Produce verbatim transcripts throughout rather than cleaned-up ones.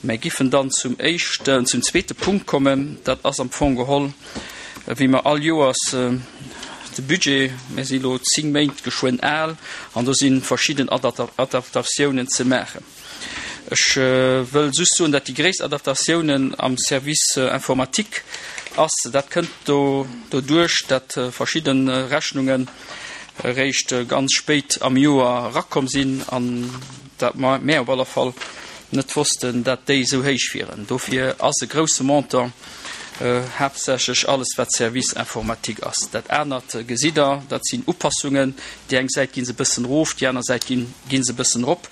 Mär giffen dann zum éischten, zum zweete Punkt kommen. Dat ass am Fong geholl, wéi mer all Joers de Budget, mir si lo zéng Méint geschwënn al, an do si verschidden Adaptatiounen ze maachen. Ech wëll just soen, dat déi gréisst Adaptatiounen am Service informatique ass. Dat kënnt do doduerch, dat verschidde Rechnungen eréischt ganz spéit am Joer erakomm sinn an dat mär op alle Fall net wossten, dat déi esou héich wieren. Dofir ass e grousse Montant haaptsächlech alles wat Service informatique ass. Dat anert gesitt Der, dat sinn Upassungen. Déi eng Säit gi se e bëssen erof, déi aner Säit ginn gi se e bëssen erop.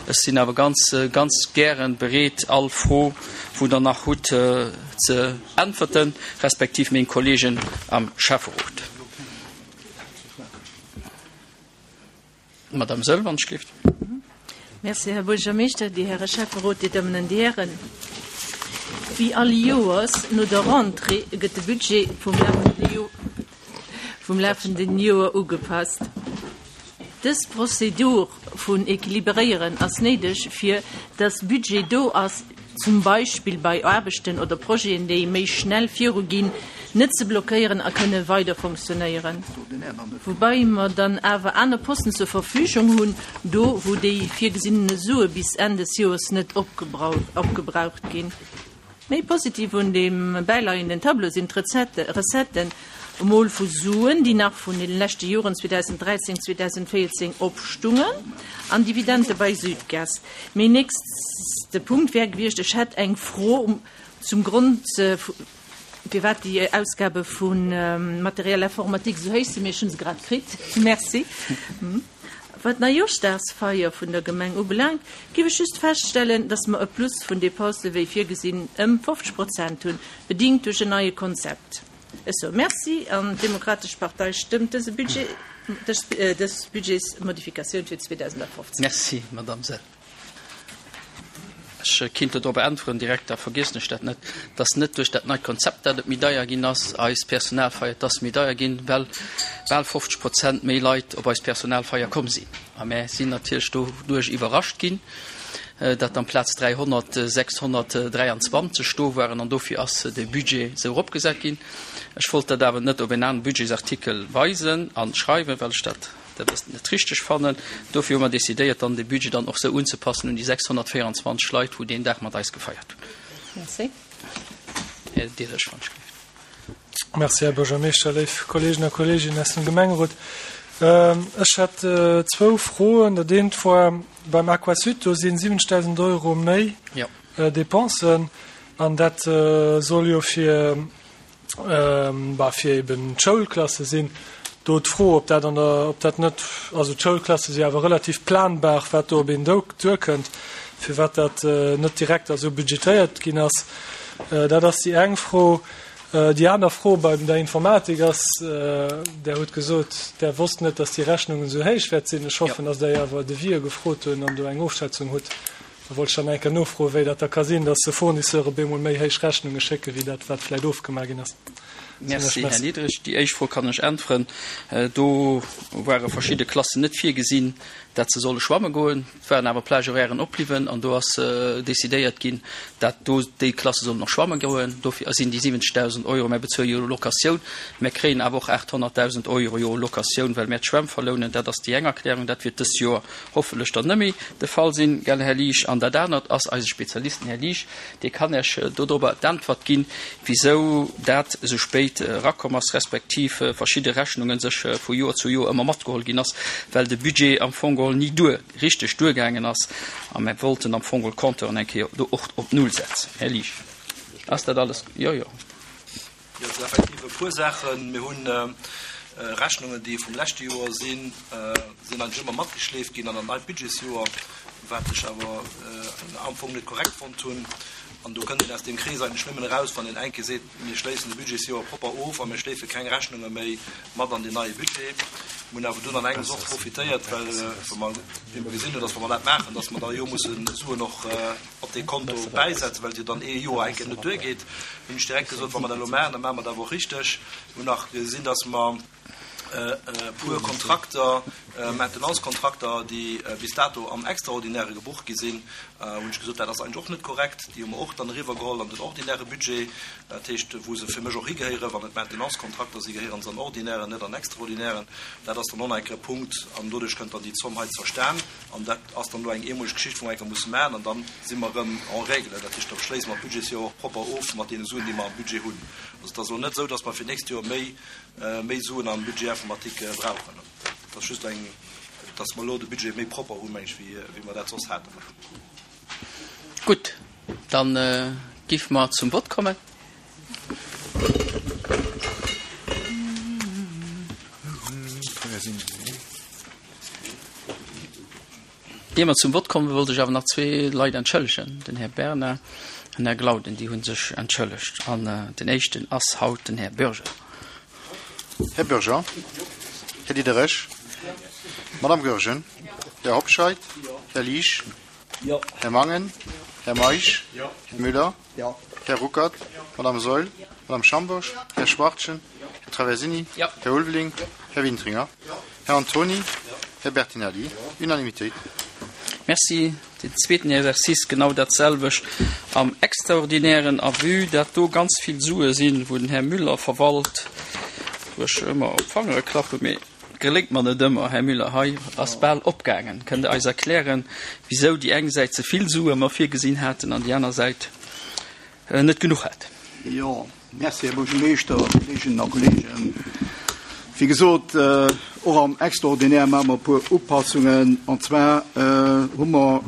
Ech sinn awer ganz, ganz gären bereet, all Fro, wou Der nach hutt, ze äntwerten, respektiv meng Kollegen am Schäfferot. Madame Söll, wann ech gelift. Merci, Här Buergermeeschter, Dir Häre Schäfferot, Dir Dammen an Dir Hären. Wéi all Joers no der Rentrée gëtt de Budget vum lafenden Joer ugepasst. Dës Prozedur vun Equilibréieren ass néideg, fir dass Budget do ass, zum Beispill bei Aarbechten oder Projeten, déi méi schnell viruginn, net ze blockéieren a kënne weider fonctionnéieren. Woubäi mer dann awer aner Posten zur Verfügung hunn, do wou déi virgesinnene Sue bis Enn des Joers net opgebraucht ginn. Méi positiv un deem bäileienden Tableau sinn d'Recetten, emol vu Suen, déi nach vun de leschte Joren zweedausenddräizéng, zweedausenvéierzéng opstungen, an Dividende bei Südgas. Mäin nächste Punkt wär gewiescht, ech hätt eng Fro zum Grond, firwat déi Ausgabe vu Matériel informatique esou héich sinn, mee ech hu se grad kritt. Merci. Wat d'Neijooschdagsfeier vun der Gemeng ubelaangt, géif ech just feststellen, dass mer e Plus vun Depensë wéi virgesinn ëm fofzeg Prozent hunn, bedingt duerch en neie Konzept. Ech soe Merci an d'Demokratesch Partei stëmmt dëse Budget, dës Budgetsmodifikatioun fir zweedausendafofzéng. Merci, Madame Sell. Ech kinnt do drop äntweren direkt, da vergiessen ech dat net, dass net duerch dat neit Konzept, dat et méi deier ginn ass, eis Personalfeier, et ass méi deier ginn, well bal fofzeg Prozent méi Leit op eis Personalfeier komm sinn. A mär sinn natierlech doduerch iwwerrascht ginn, dat amplaz dräihonnert sechshonnertdräianzwanzeg do waren, an dofir ass de Budget esou eropgesat ginn. Ech wollt dat awer net op en anere Budgetsartikel weisen a schreiwen, well ech dat dat ass net richteg fannen. Dofir hu mer decidéiert, dann de Budget dann och esou unzepassen un déi sechshonnertvéieranzwanzeg Leit, wou deen Dag mat eis gefeiert hunn. Merci. Här Diderich, wann ech gelift. Merci, Här Buergermeeschter, léif Kolleegen a Kolleeginnen aus dem Gemengerot. Ech hätt zwou Froen. Dat eent war beim Aquasud, do si siwwenzegdausend Euro méi Dépensen an dat soll jo fir, bah, fir eben d'Schoulklasse sinn. Do d'Fro, ob dat an der, ob dat net, also d'Schoulklasse si awer relativ planbar, wat do op een duerkënnt, firwat dat net direkt esou budgetéiert ginn ass. Dat ass déi eng Fro. Déi aner Fro bei der Informatik ass, Der hutt gesot, Der wosst net, dass déi Rechnungen esou héich wäert sinn. Ech hoffen, dass Der awer Devisë gefrot hunn an do eng Ofschätzung hutt. Da wollt ech dann eng Kéier nofroen, wéi dat da ka sinn, dass Fournisseuren op eemol méi héich Rechnunge schécken, wéi dat, wat vläicht ofgemaach ginn ass. Merci, Här Niedrig. Déi éischt Fro kann ech äntweren. Do ware verschidde Klassen net virgesinn, dat se solle schwamme goen. Et waren awer Plage-horairen opbliwwen an do ass decidéiert ginn, dat do déi Klasse sollen och schwamme goen. Dofir sinn déi siwwenzegdausend Euro. Mär bezuele jo Locatioun. Mär kréien awer och aathonnertdausend Euro jo Locatioun, well mär d'Schwämm verlounen. Dat ass déi eng Erklärung. Dat wiert dëst Joer hoffentlech dann net méi de Fall sinn, gell, Här Liesch. An dat anert ass eise Spezialist, den Här Liesch, dee kann Iech dodrobber d'Äntwert ginn, wisou dat esou spéit erakomm ass, respektiv verschidde Rechnunge sech vu Joer zu Joer ëmmer matgeholl ginn ass, well de Budget am Fong geholl ni duer, richteg duergaangen ass a mir wollten am Fong geholl d'Compteuren eng Kéier do och op Null setzen. Här Liesch, ass dat alles? Jo, jo. Jo, et sinn effektiv e puer Saachen. Mir hunn Rechnungen, déi vum leschte Joer sinn, sinn eigentlech ëmmer matgeschleeft ginn an dat neit Budgetsjoer, wat ech awer am Fong net korrekt fonnt hunn. An do kënnt een aus deem Krees eigentlech nëmmen eraus, wann een eng Kéier seet, mir schléissen de Budgetsjoer propper of a mir schleefe keng Rechnunge méi mat an deen neie Budget. Mir hunn awer dunn an engems och profitéiert, well wa mer, wéi mer gesinn hunn, datt wa mer dat maachen, datt mer da jo musse Suen och op dee Konto bäisetzen, well et jo dann ee Joer eng Kéier net duergeet, hunn ech direkt gesot, wa mer dat elo maachen, da maache mer dat awer och richteg. Mir hunn nach gesinn, datt mer e puer Kontrakter, Maintenance-Kontrakter, déi bis dato am Extraordinäre gebucht gi sinn, Hunn ech gesot, dat ass eigentlech och net korrekt. Déi hu mer och dann eriwwergeholl an den ordinäre Budget, dat heescht, wou se fir mech och higehéieren. Wann et Maintenance-Kontrakter sinn, gehéieren se an ordinären, net an extraordinären. Dat ass dann och nach eng Kéier e Punkt an doduerch kënnt dann déi Zomm hei zerstan. An dat ass dann elo eng eemoleg Geschicht, wou mer eng Kéier musse maachen an dann si mer erëm en règle. Dat heescht, da schléisse mer d'Budgetsjoer och propper of mat deene Suen, déi mer am Budget hunn. Also et ass elo net esou, dass mer fir d'nächst Joer méi, méi Suen am Budget informatique brauchen. Dat ass just eng, dass mer elo de Budget méi propper hunn, meng ech, wéi, wéi mer dat soss haten. Gutt, dann géife mer zum Vott kommen. Ier mer zum Vott kommen, wollt ech awer nach zwee Leit entschëllegen, den Här Bernard an den Här Glauden, déi hu sech entschëllegt. An den éischten ass haut den Här Bürger. Här Bürger, Här Diderich, Madame Goergen, Här Hobscheit, Här Liesch, Här Mangen, Här Meisch, Här Müller, Här Ruckert, Madame Saeul, Madame Schambourg, Här Schwachtgen, Här Traversini, Här Ulveling, Här Wintringer, Här Antony, Här Bertinelli. Unanimitéit. Merci. Den zweeten Exercice genau dat selwecht am Extraordinären. A vue dat do ganz vill Sue sinn, wou den Här Müller verwalt, wou ech ëmmer op d'Fangere klappen, mee geléngt mer net ëmmer, Här Müller, hei ass bal opgaangen. Kënnt Der eis erklären, wisou déi eng Säit ze vill Sue mer virgesinn haten an déi aner Säit net genuch hat? Jo, merci, Här Buergermeeschter, Kolleeginnen a Kolleegen. Wéi gesot, och am Extraordinaire maache mer e puer Upassungen. An zwar hu mer,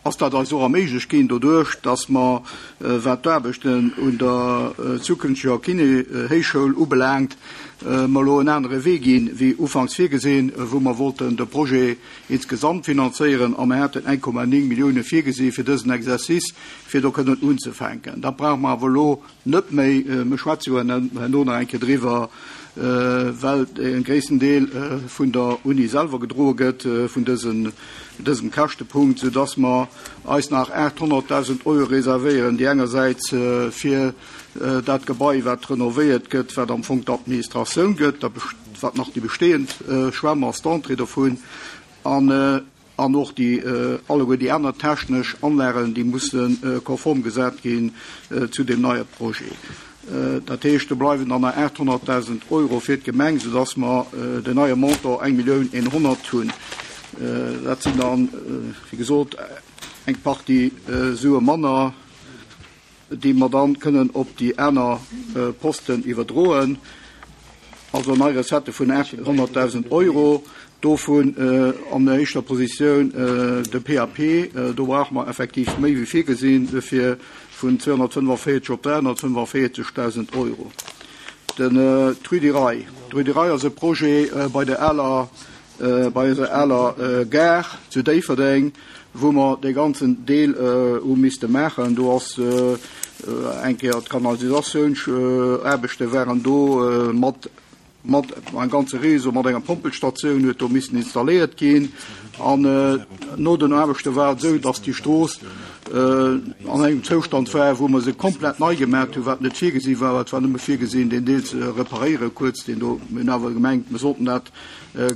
ass dat eis och erméiglecht ginn doduerch, dass mer, wat d'Aarbechten un der zukünfteger Kiné-Héichschoul ubelaangt, mer elo en anere Wee ginn, wéi ufanks virgesinn, wou mer wollten de Projet insgesamt finanzéieren a mer haten eng Komma néng Millioune virgesi fir dësen Exercice, fir do kënnen unzefänken. Dat brauche mer awer elo net méi. Mir schwätze jo herno nach eng Kéier driwwer, well de gréissten Deel vun der Uni selwer gedroe gëtt vun dësem Käschtepunkt, soudass mer eis nach aathonnertdausend Euro reservéieren, déi engersäits fir dat Gebai, wat renovéiert gëtt, wat am Fong d'Administratioun gëtt, wat nach déi bestehend Schwämm ass, d'Entrée dovun, an an och déi alleguer déi aner technesch Anlagen, déi musse konform gesat ginn zu deem neie Projet. Dat heescht, do bleiwen dann nach aathonnertdausend Euro fir d'Gemeng, soudass mer den neie Montant eng Millioun eenhonnert hunn. Dat sinn dann, wéi gesot, eng Partie Sue manner, déi mer dann kënnen op déi aner Posten iwwerdroen. Also nei Recettë vun aathonnertdausend Euro, dovun an der éischter Positioun de P A P. Do brauche mer effektiv méi wéi virgesinn, dofir vun zweehonnertfënnefenvéierzeg op dräihonnertfënnefenvéierzegdausend Euro. Den Rue du Rail. D'Rue du Rail ass e Projet bei der aler, bei eiser aler Gare zu Déifferdeng, wou mer dee ganzen Deel hu misste maachen. Do ass eng Kéier d'Kanalisatiounsaarbechte waren do mat mat engem ganze Réseau, mat enger Pompelstatioun huet do missen installéiert ginn. An no den Aarbechte war et esou, datt déi Strooss an engem Zoustand war, wou mer se komplett nei gemaach hunn, wat net virgesi war. Et war nëmme virgesinn, deen Deel ze reparéieren, kuerz deen do. Mir hunn awer gemengt, mir sollten dat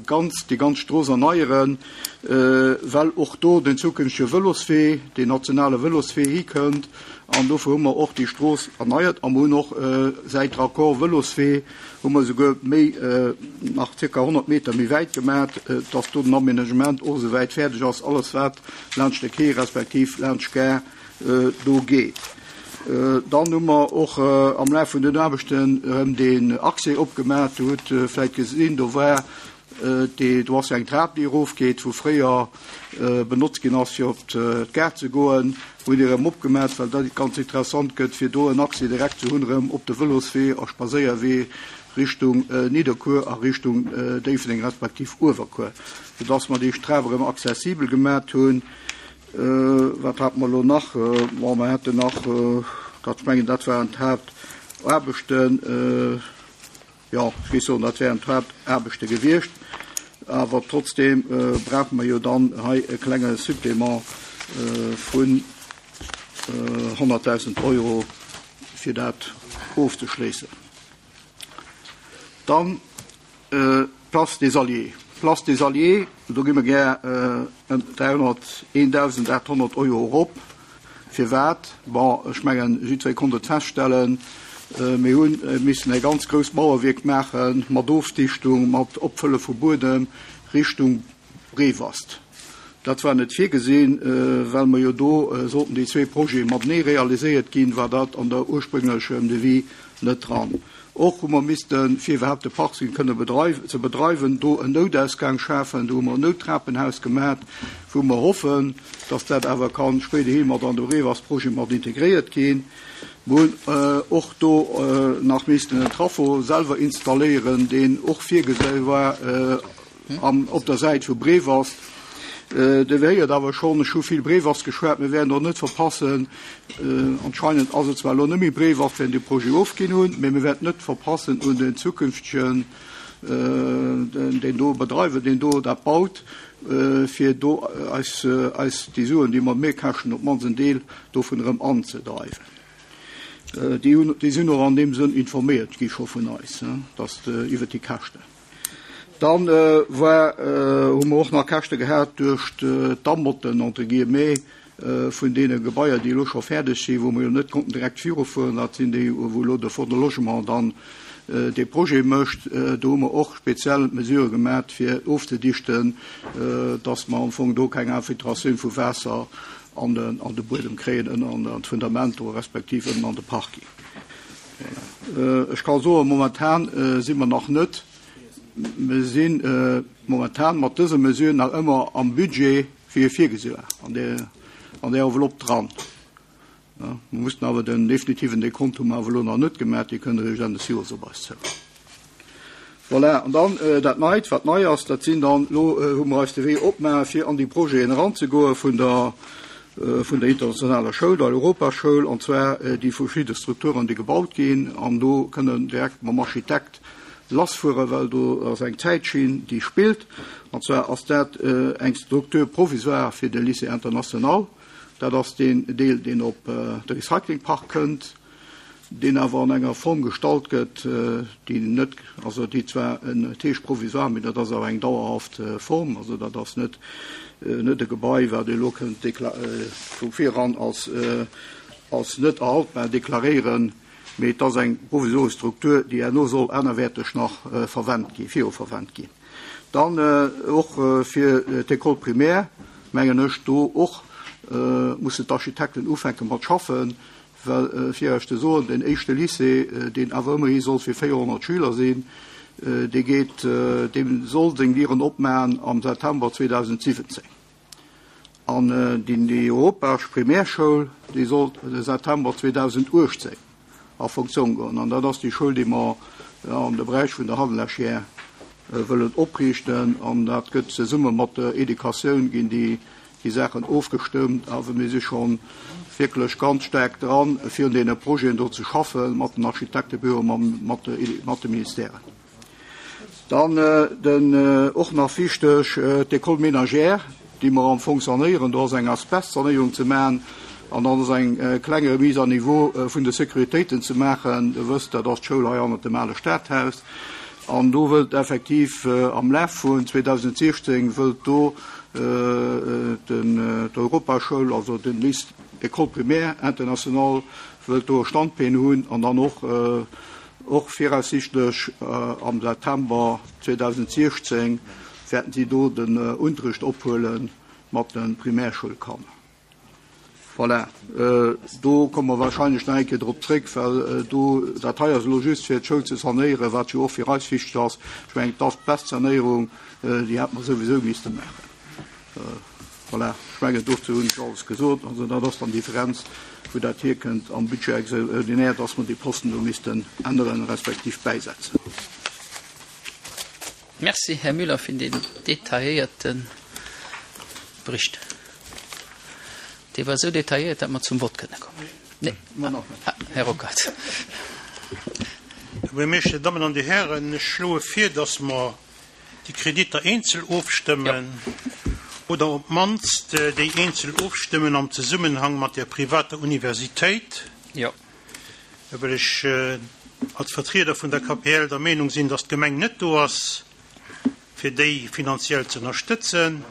ganz, déi ganz Strooss erneieren, well och do den zukünftege Vëloswee, deen nationale Vëloswee hikënnt. An dofir hu mer och déi Strooss erneiert a mer hunn och säit Raccord Vëloswee hu mer souguer méi nach zirka honnert Meter méi wäit gemaach, dass do den Aménagement och esou wäit fäerdeg ass, alles wat laanscht de Quai respektiv laanscht d'Gare do geet. Dann hu mer och am Laf vun den Aarbechten erëm den Accès opgemaach. Dir hutt vläicht gesinn, do war déi, do ass jo eng Trap, déi erofgeet, wou fréier benotzt ginn ass, fir op d'Gare ze goen. Hunn déi erëm opgemaach, well dat ganz interessant gëtt, fir do en Accès direkt ze hunn erëm op de Vëloswee a Spadséierwee Richtung Nidderkuer a Richtung Déifferdeng respektiv Uewerkuer, soudass mer déi Trap erëm accessibel gemaach hunn. Wat hate mer elo nach? Bon, mer haten nach, dat, ech mengen, dat waren d'Haaptaarbechten. Jo, ech géif soen, dat wären d'Haaptaarbechte gewiescht. Awer trotzdem brauche mer jo dann hei e klenge Supplément vun honnertdausend Euro, fir dat ofzeschléissen. Dann d'Place des Alliés. Place des Alliés, do gi mer gär ëm dräihonnerteentausendachthonnert Euro erop. Firwat? Bon, ech mengen, jiddweree konnt et feststellen, mir hu missen e ganz grousst Mauerwierk maache mat Ofdichtung, mat Opfëlle vu Buedem Richtung Breewast. Dat war net virgesinn, well mer jo do sollten déi zwee Projete matenee realiséiert ginn, war dat an der ursprünglechem Devis net dran. Och hu mer missten, fir iwwerhaapt de Parking kënne ze bedreiwen, do en Noutausgang schafen. Do hu mer en Nouttrapenhaus gemat, wou mer hoffen, dass dat awer ka spéiderhi mat an de Breewast-Projet mat integréiert ginn. Mer hunn och do nach missten en Trafo selwer installéieren, deen och virgesi war op der Säit vu Breewast. Dir héiert awer schonn, ech hu vill Breewast geschwat, mir wäerten och net verpassen, anscheinend ass et zwar elo net méi Breewast, während de Projet ofginn hunn, mee mir wäerten net verpassen un den zukünftegen, deen do Bedreiwer, deen do dat baut, fir do eis, eis déi Suen, déi mer méi käschten, op d'mannst en Deel dovun erëm anzedreiwen. Déi hunn, déi sinn och an deem Sënn informéiert gi scho vun eis, dass iwwert déi Käschten. Dann war, hu mer och nach Käschte gehat duerch d'Amotten, entre guillemets, vun deene Gebaier, déi elo scho fäerdeg sinn, wou mer jo net konnten direkt virufueren. Dat sinn déi, wou elo de Fonds de Logement dann dee Projet mécht. Do hu mer och speziell Mesurë gemaach, fir ofzedichten, dass mer am Fong do keng Infiltratioun vu Waasser an de, an de Buedem kréien, ënner an d'Fundament do, respektiv ënnen an de Parking. Voilà. Ech ka soen, momentan si mer nach net, mir si momentan mat dëse Mesuren nach ëmmer am Budget, wéi e virgesi war, an där, an där Enveloppe dran. Mir mussten awer den definitiven Dekont hu mer awer elo nach net gemaach, dee kënnt eréischt Enn des Joers op eis zou. Voilà, an dann dat Neit, wat nei ass, dat sinn dann, elo hu mer eis de Wee opgemaach, fir an déi Projeten eranzegoen vun der, vun der internationaler Schoul, der Europaschoul, an zwar déi verschidde Strukturen, déi gebaut ginn, an do kënnen direkt mam Architekt lassfueren, well do ass eng Zäitschinn, déi spillt. An zwar ass dat eng Structure provisoire fir de Lycée international. Dat ass deen Deel, deen op de Recyclingpark kënnt, deen awer an enger Form gestalt gëtt, déi net, also déi zwar en heescht provisoire, mee dat ass awer eng dauerhaft Form. Also dat ass net, net e Gebai, wat elo kënnt vu viran als, als net erhaltbar deklaréieren, mee et ass eng provisoresch Struktur, déi herno soll anerwäerteg nach verwennt ginn, viru verwennt ginn. Dann och fir d'École primaire, mengen ech, do och mussen d'Architekten ufänke mat schaffen, well fir Iech ze soen, den éischte Lycée, deen awer ëmmerhi soll fir véierhonnert Schüler sinn, dee geet, deem soll seng Dieren opmachen am September zweedausendsiwwenzéng. An déi Europasch Primärschoul, déi soll de September zweedausenduechtzéng a Funktioun goen. An dat ass déi Schoul, déi mer an de Beräich vun der Hadelechère wëllen opriichten. An dat gëtt zesumme mat der Educatioun ginn déi déi Saachen ofgestëmmt, awer mir si schonn wierklech ganz staark dran, fir un deene Projeten do ze schaffen, mat den Architektebüroen, mat, mat de Ministèren. Dann den, och nach wichteg, d'École ménagère, déi mer am Fong sanéieren. Do ass eng Asbestsanéierung ze maachen an dann ass eng kleng Remise à niveau vun de Sécuritéiten ze maachen. Dir wësst, dat ass d'Schoul hei hannert dem ale Stadhaus. An do wëllt effektiv am Laf vun zweedausendsechzéng wëllt do den d'Europaschoul, also den Lycée École primaire internationale, wëllt do e Standbeen hunn an dann och, och viraussichtlech am September zweedausendsechzéng wäerten si do den Unterricht ophuele mat de Primärschoulkanner. Voilà. Do komme mer wahrscheinlech nach eng Kéier drop zréck, well do, dat hei ass elo just fir d'Schoul ze sanéieren, wat jo och fir eis wichteg ass. Ech mengen, d'Asbestsanéierung, déi hätt mer souwisou misste maachen. Voilà. Ech mengen, dozou hunn ech alles gesot. Also dat ass dann d'Differenz, wou dat hierkënnt am Budget extraordinaire, dass mer déi Posten do missten änneren, respektiv bäisetzen. Merci, Här Müller, fir den detailléierte Bericht. Dee war sou detailléiert, datt mer zum Vott kënne kommen. Nee. Ah, Här Rocard. Här Buergermeeschter, Dir Dammen an Dir Hären, ech schloe vir, datt mer déi Kreditter eenzel ofstëmmen. Ja. Oder op d'mannst déi eenzel ofstëmmen am Zesummenhang mat der privater Universitéit. Ja. Well ech als Vertrieder vun der K P L der Meenung sinn, datt d'Gemeng net do ass, fir déi finanziell ze ënnerstëtzen.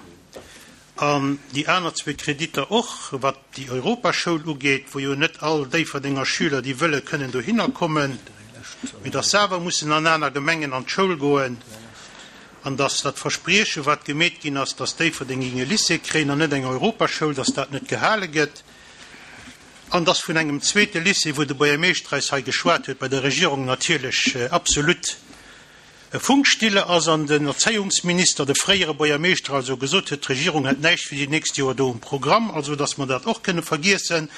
An déi aner zwee Kreditter och, wat déi Europaschoul ugeet, wou jo net all Déifferdenger Schüler, déi wëlle kënnen dohinner kommen, mee dass se awer mussen an aner Gemengen an d'Schoul goen, an dass dat Versprieche, wat gemeet ginn ass, dass Déifferdeng géing e Lycée kréien an net eng Europaschoul, dass dat net gehale gëtt, an dass vun engem zweete Lycée, wou de Buergermeeschter eis hei geschwat huet, bei der Regierung natierlech absolut Funkstille ass an den Erzéiungsminister, de fréiere Buergermeeschter also, gesot huet, d'Regierung hätt näischt fir déi nächst Joer do um Programm, also dass mer dat och kënne vergiessen,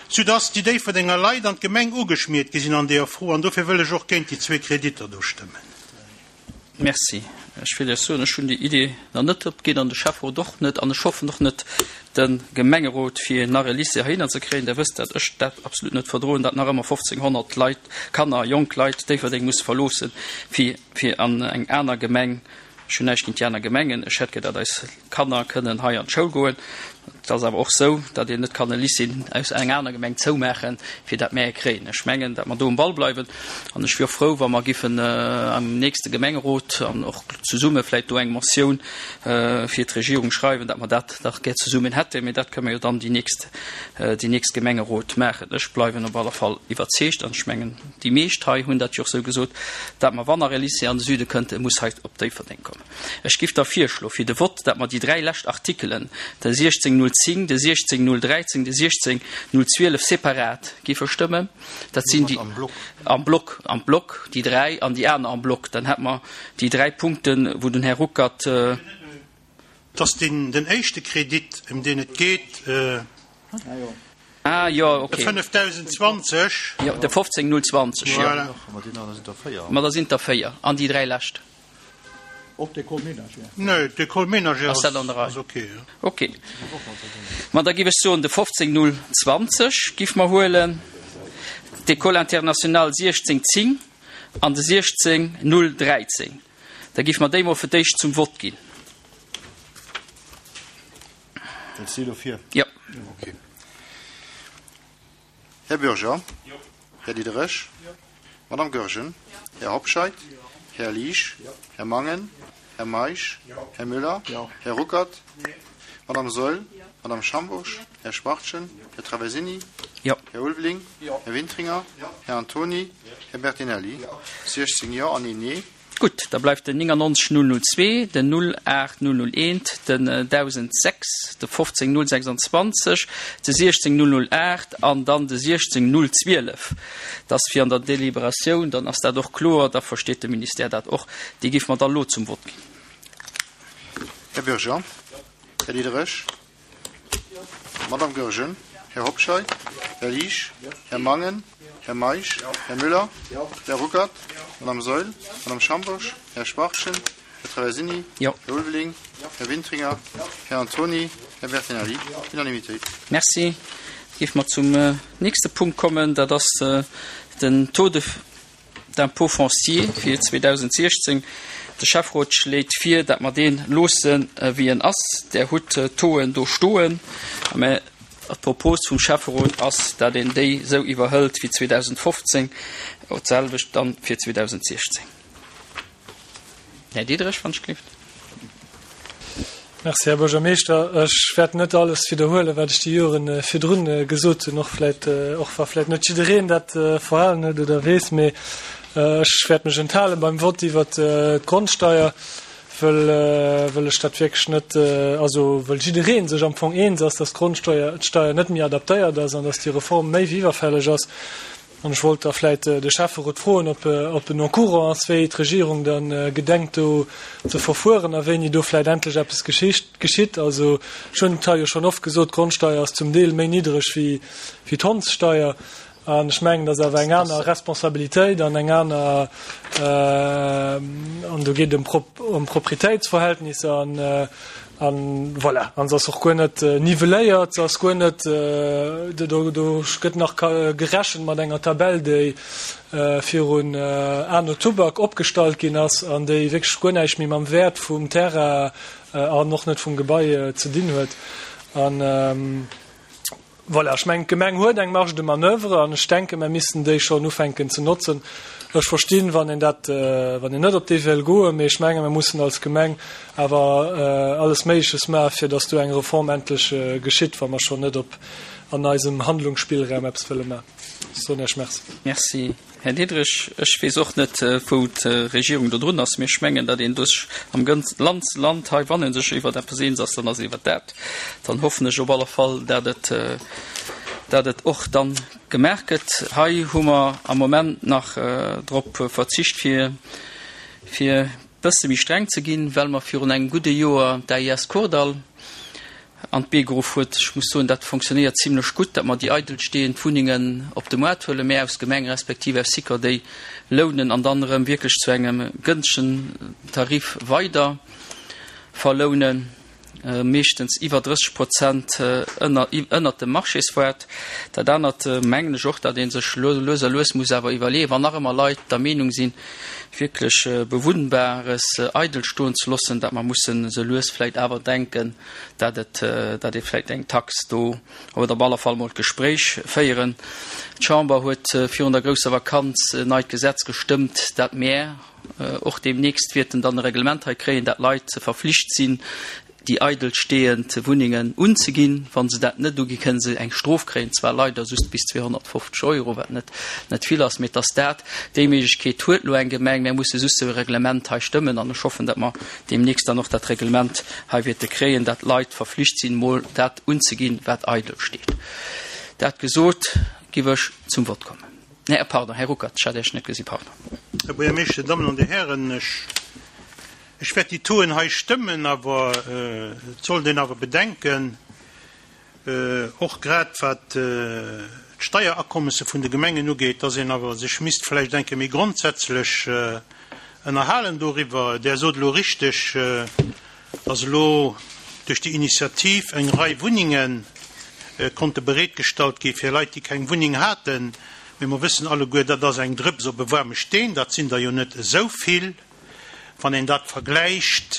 soudass déi Déifferdenger Leit an d'Gemeng ugeschmiert gi sinn an deeër Fro. An dofir wëll ech och géint déi zwee Kreditter do stëmmen. Merci. Ech wéll Iech soen, ech hunn déi Idee nach net opginn an de Schäfferot och net an ech hoffen och net de Gemengerot, fir nach e Lycée heihinner ze kréien. Der wësst, dat ech dat absolut net verdroen, dat nach ëmmer fofzénghonnert Leit, Kanner, jonk Leit Déifferdeng musse verloossen, fir fir an eng aner Gemeng. Ech hunn näischt géint déi aner Gemengen, ech hätt gär, datt eis Kanner kënnen hei an d'Schoul goen. Et ass awer och esou, datt een net kann e Lycée aus enger aner Gemeng zoumaachen, fir dat mär e kréien. Ech mengen, datt mer do um Ball bleiwen an ech wier och frou, wa mer giffen am nächste Gemengerot an och zesumme vläicht do eng Motioun fir d'Regierung schreiwen, datt mer dat dach gär zesummen hätten. Mee dat kënne mer jo dann déi nächst, déi nächst Gemengerot maachen. Ech bleiwen op alle Fall iwwerzeegt an ech mengen, déi meescht hei hunn dat jo och esou gesot, datt mer, wann nach e Lycée an de Süde kënnt, e muss hei op Déifferdeng kommen. Ech giff da virschloen, fir de Vott, datt mer déi dräi lescht Artikelen, de siechzéng null zéng, de siechzéng null dräizéng, de siechzéng null zwielef separat giffe stëmmen. Dat sinn déi am Block, am Block déi dräi an déi aner am Block. Dann hätte mer déi dräi Punkten, wou den Här Ruckert. Dass deen, den éischte Kredit, ëm deen et geet, Ah jo, ok. De fënnefdausend zwanzeg. Jo, de fofzéng null zwanzeg, jo. Voilà. Ma da sinn et der véier. An déi dräi lescht. Och d'École ménagère. Nee, d'École ménagère ass dat an der Rei. Ass ok, jo. Ok. Ma da giff ech soen, de fofzéng null zwanzeg giff mer huelen, d'École internationale siechzéng zéng an de siechzéng null dräizéng. Da giff mer déi mol fir d'éischt zum Vott ginn. Wëlls du dofir? Jo. Ok. Här Bürger? Jo. Här Diderich? Jo. Madame Goergen? Jo. Här Hobscheit? Jo. Här Liesch? Jo. Här Mangen? Jo. Här Meisch? Jo. Här Müller? Jo. Här Ruckert? Nee. Madame Saeul? Jo. Madame Schambourg? Jo. Här Schwachtgen? Jo. Här Traversini? Jo. Här Ulveling? Jo. Här Wintringer? Jo. Här Antoni? Jo. Här Bertinelli? Jo. siechzéng Jo an een Nee. Gutt, da bleift den néngannonzeg null null zwee, den null aacht null null eent, den dausendsechs, de fofzéng null sechsundzwanzeg, de siechzéng null null aacht an dann de siechzéng null zwielef. Dat ass fir an der Deliberatioun, dann ass dat och kloer, da versteet de Ministère dat och. Déi géife mer da lo zum Vott ginn. Här Bürger? Här Diderich? Madame Goergen? Här Hobscheit? Här Liesch? Här Mangen? Här Meisch? Här Müller? Här Ruckert? Madame Saeul? Madame Schambourg? Här Schwachtgen? Här Traversini? Jo. Här Ulveling? Här Wintringer? Här Antoni? Här Bertinelli? Unanimitéit. Merci. Géife mer zum nächste Punkt kommen, dat ass den Taux de d'impôt foncier fir zweedausendsechzéng. De Schäfferot schléit vir, datt mer dee loosse wéi en ass. Der hutt d'Tauxen do stoen. Mä d'Propos vum Schäfferot ass, datt een déi esou iwwerhëlt wéi zweedausendfofzéng, och d'selwecht dann fir zweedausendsechzéng. Här Diderich, wann ech gelift. Merci, Här Buergermeeschter. Ech wäert net alles widderhuelen, wat ech déi Joren virdrun gesot hunn, och vläicht, och wa vläicht net jiddereen dat verhalen huet oder weess, mee ech wäert mech enthalen beim Vott iwwert d'Grondsteier, wëll, wëll ech dat wierklech net, also wëll jidderee sech am Fong eens ass, dass d'Grondsteuer, d'Steier net méi adaptéiert ass an dass déi Reform méi wéi iwwerfälleg ass. An ech wollt da vläicht de Schäfferot froen, ob, ob en au courant ass, wéi d'Regierung dann gedenkt do ze verfueren a wéini do vläicht endlech eppes geschicht, geschitt. Also ech hunn et hei jo schonn oft gesot, d'Grondsteier ass zum Deel méi niddreg wéi, wéi d'Hondssteier. An ech mengen, dat ass awer eng aner Responsabilitéit an eng aner, an do geet et ëm Proprietéitsverhältnisser an, an voilà, an se ass och guer net nivelléiert, se ass guer net, do, do gëtt nach gerechent mat enger Tabell, déi virun Anno Tubak opgestallt ginn ass an déi wierklech guer näischt méi mam Wäert vum Terrain an och net vum Gebai ze dinn huet. An Voilà, ech mengen, d'Gemeng huet eng Marge de manoeuvre an ech denken, mer missten déi schonn ufänken ze notzen. Ech verstinn, wann een dat, wann een net op dee wéll goen, mee ech mengen, mer mussen als Gemeng awer alles Méigleches maachen, fir datt do eng Reform endlech geschitt, wa mer schonn net op an eisem Handlungsspillraum eppes wëlle maachen. Ech soen Iech Merci. Merci, Här Diderich. Ech weess och net, wou d'Regierung do drun ass, mee ech mengen, datt een duerch am ganze Land hei, wann ee sech iwwer eppes eens ass, dann ass et iwwer dat. Dann hoffen ech op alle Fall, datt et, datt et och dann gemaach gëtt. Hei hu mer am Moment nach drop verzicht, fir, fir bësse méi streng ze ginn, well mer virun engem gudde Joer d'AIS Kordall an d'Bee geruff huet. Ech muss soen, dat fonctionnéiert zimlech gutt, datt mer déi eidelstehend Wunnengen op de Moart huelen, mä aus Gemeng respektiv aus Sikor déi lounen an dann erëm wierklech zu engem gënschtegen Tarif weider verlounen, meeschtens iwwer drësseg Prozent ënner ënnert dem Marchéswäert. Dat anert mengen ech och, datt ee sech lues a lues muss awer iwwerleeën, wann nach ëmmer Leit der Meenung sinn, wierklech Bewunnbares eidel stoen ze loossen, datt mer mussen esou lues vläicht awer denken, datt et, datt ee vläicht eng Tax do, oder op alle Fall emol d'Gespréich féieren. D'Chamber huet virun der grousser Vakanz en neit Gesetz gestëmmt, dat mär och deemnächst wäerten dann e Reglement hei kréien, dat Leit verflicht sinn, déi eidel stehend Wunnengen unzeginn. Wa se dat net uginn, kënne se eng Strof kréien, zwar leider just bis zweehonnertfofzeg Euro, wat net net vill ass, mee et ass dat. Déi Méiglechkeet huet elo eng Gemeng. Mär musse just esou e Reglement hei stëmmen an ech hoffen, datt mer deemnächst dann och dat Reglement hei wäerte kréien, datt d'Leit verflicht sinn, mol dat unzeginn, wat eidel steet. Dat gesot, giff ech zum Vott kommen. Nee, pardon, Här Ruckert, ech hat Iech net gesi, pardon. Här Buergermeeschter, Dammen an Dir Hären, ech Ech wäert déi Tauxen hei stëmmen, awer et sollt een awer bedenken, och grad wat d'Steierakommesse vun de Gemengen ugeet, dass een awer sech misst vläicht eng Kéier méi grondsätzlech ënnerhalen doriwwer. Där sot elo richteg, dass elo duerch déi Initiativ eng Rei Wunnenge konnte bereetgestallt gi fir Leit, déi keng Wunneng haten. Mee mer wëssen alleguer, dat ass eng Drëps op e waarme Steen, dat sinn der jo net esou vill. Wann een dat vergläicht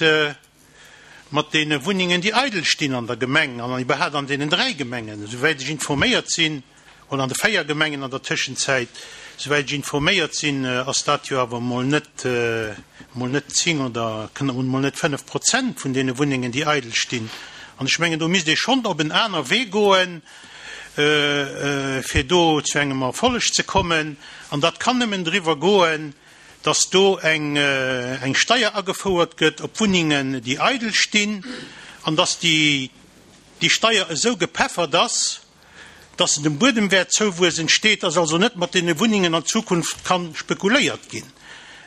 mat deene Wunnengen, déi eidel stinn an der Gemeng an iwwerhaapt an deenen dräi Gemengen, esouwäit ech informéiert sinn, oder an de véier Gemengen an der Tëschenzäit, esouwäit ech informéiert sinn, ass dat jo awer emol net, emol net zéng oder emol net fënnef Prozent vun deene Wunnengen, déi eidel stinn. An ech mengen, do misst ee schonn op en aner Wee goen, fir do zu engem Erfolleg ze kommen. An dat kann nëmmen driwwer goen, dass do eng eng Steier agefouert gëtt op Wunnengen, déi eidel stinn, an dass déi déi Steier esou gepeffert ass, dass se dem Buedemwäertzouwuess entsteet, dass also net mat deene Wunnengen an Zukunft ka spekuléiert ginn.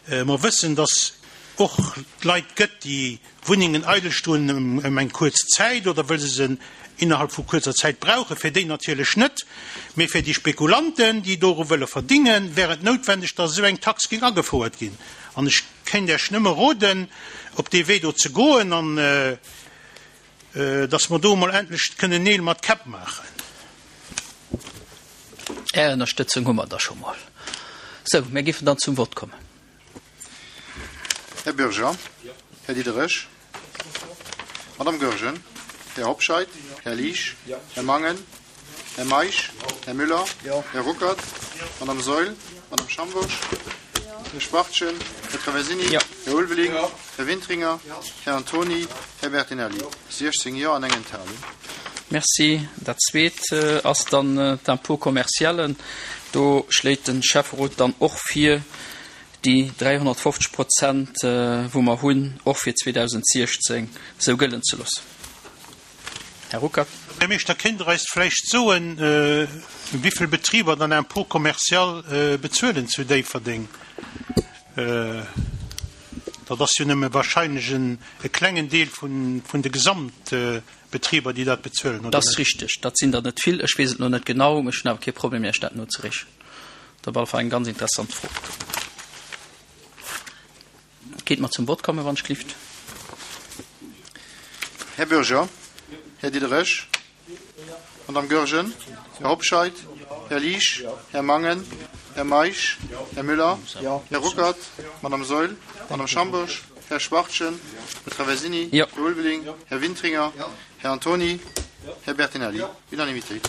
Mer wëssen, dass och Leit gëtt, déi Wunnengen eidel stoen ëm eng kuerz Zäit oder wëll se se innerhalb vu kuerzer Zäit brauchen, fir déi natierlech net, mee fir déi Spekulanten, déi doru wëlle verdingen, wär et noutwendeg, dass esou eng Tax géing agefouert ginn. An ech kéint Iech nëmme roden, op dee Wee do ze goen an dass mer do emol endlech kënnen Neel mat Käpp maachen. Är Ënnerstëtzung hu mer da scho mol. Sou, mir géifen dann zum Vott kommen. Här Bürger, Här Diderich, Madame Goergen, Här Hobscheit, Här Liesch, Här Mangen, Här Meisch, Här Müller, Här Ruckert, Madame Saeul, Madame Schambourg, Här Schwachtgen, Här Traversini, Här Ulveling, Här Wintringer, Här Antoni, Här Bertinelli. siechzéng Jo an eng Enthalung. Merci. Dat Zweet ass dann d'Impôt commercial. Do schléit de Schäfferot dann och vir, déi dräihonnertfofzeg Prozent, wou mer hunn, och fir zweedausentsiechzéng esou gëllen ze loossen. Här Ruckert. Här Buergermeeschter, kéint Der eis vläicht soen, wéivill Betriber dann Impôt commercial bezuelen zu Déifferdeng? Dat ass jo nëmme wahrscheinlech e klengen Deel vun de Gesamtbetriber, déi dat bezuelen, oder Dat ass net? richteg. Dat sinn der net vill. Ech weess et elo net genau, mee ech hunn awer kee Problem, Iech dat nozereechen. Dat ass op alle Fall eng ganz interessant Fro. Kéint mer zum Vott kommen, wann ech glift? Här Bürger, Här Diderich, Madame Goergen, Här Hobscheit, Här Liesch, Här Mangen, Här Meisch, Här Müller, Här Ruckert, Madame Saeul, Madame Schambourg, Här Schwachtgen, Här Traversini, Här Ulveling, Här Wintringer, Här Antoni, Här Bertinelli. Unanimité.